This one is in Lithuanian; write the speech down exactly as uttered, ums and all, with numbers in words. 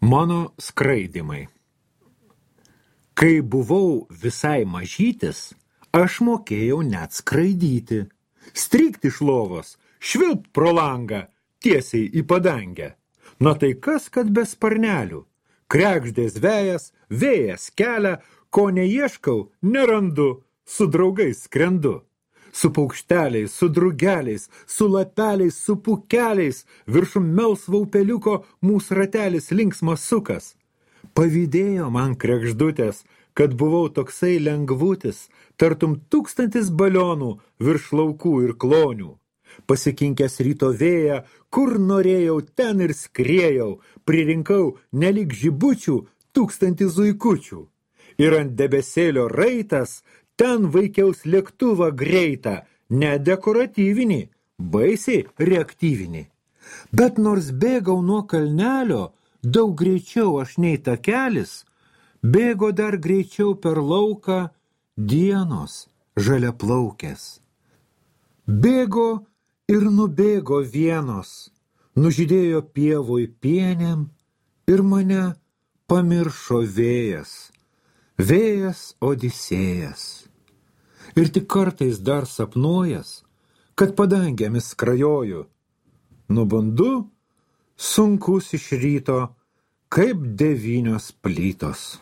Mano skraidymai. Kai buvau visai mažytis, aš mokėjau net skraidyti. Strykti iš lovos, švilpt pro langą, tiesiai į padangę. Na tai kas, kad be sparnelių? Krekždės vejas, vėjas kelia, ko neieškau, nerandu, su draugais skrendu. Su paukšteliais, su drugeliais, su lapeliais, su pukeliais, viršum melsvo upeliuko mūsų ratelis linksmas sukas. Pavydėjo man krekždutės, kad buvau toksai lengvutis, tartum tūkstantis balionų virš laukų ir klonių. Pasikinkęs ryto vėją, kur norėjau, ten ir skriejau, pririnkau nelik žibučių tūkstantį zuikučių. Ir ant debesėlio raitas, ten vaikiaus lėktuvą greitą, ne dekoratyvinį, baisiai reaktyvinį. Bet nors bėgau nuo kalnelio, daug greičiau aš nei takelis, bėgo dar greičiau per lauką dienos žaliaplaukės. Bėgo ir nubėgo vienos, nužydėjo pievoj pienėm ir mane pamiršo vėjas, vėjas Odisėjas. Ir tik kartais dar sapnuojas, kad padangėmis skrajoju. Nubundu sunkus iš ryto, kaip devynios plytos.